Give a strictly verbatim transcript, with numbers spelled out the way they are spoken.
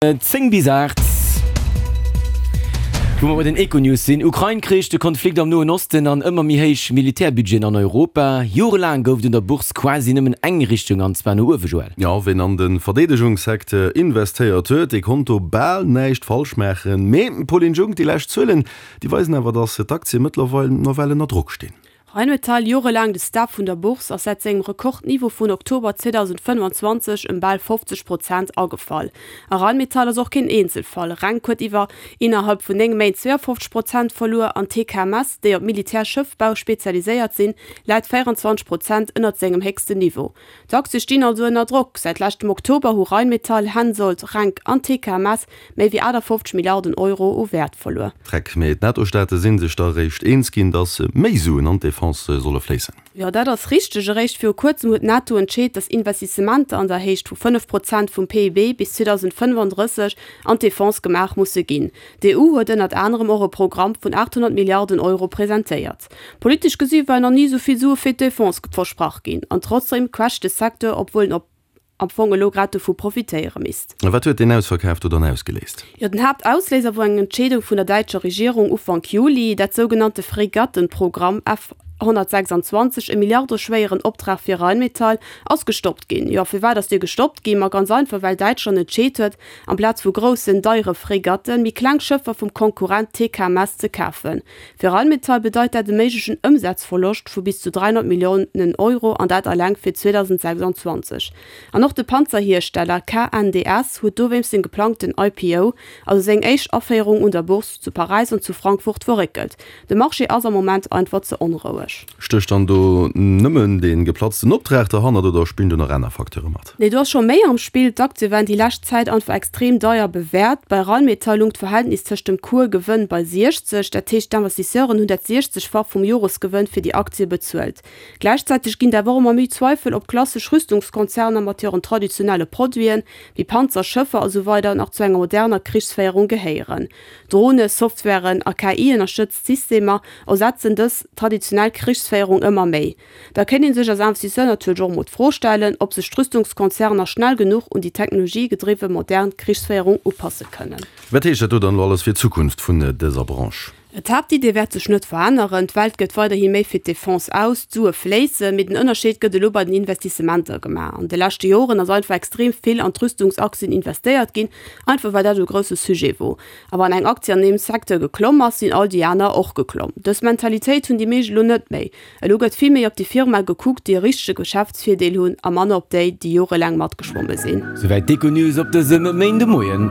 Zéng bis aacht, wou mer bei den Econews sinn. Ukrain-Krich, de Konflikt am Noen Osten an ëmmer méi héich Militärbudgeten an Europa. Jorelaang gouf et un der Bourse quasi nëmmen eng Richtung, an zwar no uewe, Joël. Jo, ween an de Verdeedegungssecteur investéiert huet, dee konnt do bal näischt falsch maachen. Mee, Pauline Junck, déi lescht Zuelen, déi weisen awer, datt d'Aktie mëttlerweil nawell ënner Drock stinn. Rheinmetall, jorelaang de Star vun der Bourse, ass säit sengem Rekordniveau vun Oktober zweedausendfënnefanzwanzeg ëm bal fofzeg Prozent agefall. A Rheinmetall ass och keen Eenzelfall, Renk huet iwwer innerhalb vun néng Méint zweeënfofzeg Prozent verluer an T K M S, déi op Militärschëffbau spezialiséiert sinn, läit véierundzwanzeg Prozent ënnert sengem héchsten Niveau. D'Aktie stinn also ënner Drock. Säit leschtem Oktober hu Rheinmetall, Hensoldt, Renk an T K M S méi wéi achtafofzeg Milliarden Euro u Wäert verluer. Dreck, mee d'NATO-Staate si sech da réischt eens ginn, datt méi Suen an d'Defense solle fléissen. Jo, dat ass richteg. Eréischt viru kuerzem huet d'NATO entscheet, datt Investissementer an der Héicht vu fënnef Prozent vum P I B bis zweedausendfënnefanddrësseg an d'Defense gemaach musse ginn. D'E U huet ënnert anerem och e Programm vun aathonnert Milliarden Euro presentéiert. Politesch gesi waren nach ni esou vill Sue fir d'Defense versprach ginn. An trotzdeem quätscht de Secteur, obwuel en op am Fong elo grad dovu profitéiere misst. A wat huet deen Ausverkaf do dann ausgeléist? Jo, den Haaptausléiser wor eng Entscheedung vun der däitscher Regierung Ufank Juli, dat sougenannte Fregattenprogramm F honnertsechsanzwanzeg, e milliardeschwéieren Optrag fir Rheinmetall, ass gestoppt ginn. Jo, firwat ass dee gestoppt ginn? Ma ganz einfach, well Däitschland entscheet huet, amplaz vu groussen, deiere Fregatten, méi kleng Schëffer vum Konkurrent T K M S ze kafen. Fir Rheinmetall bedeit dat e méiglechen Ëmsazverloscht vu bis zu dräihonnert Milliounen Euro, an dat eleng fir zweedausendsechsanzwanzeg. An och de Panzerhiersteller K N D S huet dowéinst seng geplangten I P O, also seng éischt Aféierung un der Bourse zu Paräis an zu Frankfurt, verréckelt. De Marché ass am Moment einfach ze onroueg. Stécht dann do nëmmen dee geplatzten Optrag derhannert oder spillen do nach aner Facteure mat? Nee, do ass scho méi am Spill. D'Aktie waren déi lescht Zäit einfach extrem deier bewäert. Bei Rheinmetall lung d'Verhältnis tëscht dem Cours-Gewënn bei siechzeg, dat heescht d'Investisseuren hunn dat siechzegfach vum Joresgewënn fir déi Aktie bezuelt. Gläichzäiteg ginn et awer och ëmmer méi Zweifel, ob klassesch Rüstungskonzerner mat hiren traditionelle Produiten, wéi Panzer, Schëffer a sou weider nach zu enger moderner Krichsféierung gehéieren. Drone, Softwaren a K I-ënnerstëtzt Systemer ersetzen dës traditionell Krichsféierung ëmmer méi. Da kéint ee sech als Investisseur natierlech och emol d'Fro stellen, ob sech d'Rüstungskonzerner schnell genuch un déi technologiegedriwwe modern Krichsféierung upasse kënnen. Wat heescht dat do dann elo alles fir d'Zukunft vun dëser Branche? D'Haaptidee wäert sech net veränneren, D'Welt gëtt weiderhi méi fir d'Defense aus, d'Sue fléissen, mee den Ënnerscheed gëtt elo bei den Investissementer gemaach. An de leschte Joren ass einfach extrem vill an d'Rüstungsaktien investéiert ginn, einfach well dat e grousse Sujet wor. A wann eng Aktie an deem Secteur geklomm ass, sinn all déi aner och geklomm. Dës Mentalitéit hunn déi meescht elo net méi. Elo gëtt vill méi op déi Firmae gekuckt, déi e richtege Geschäftsvirdeel hunn, a manner op déi, déi jorelaang matgeschwomme sinn. Souwäit d'Econews op dësem Méindemoien.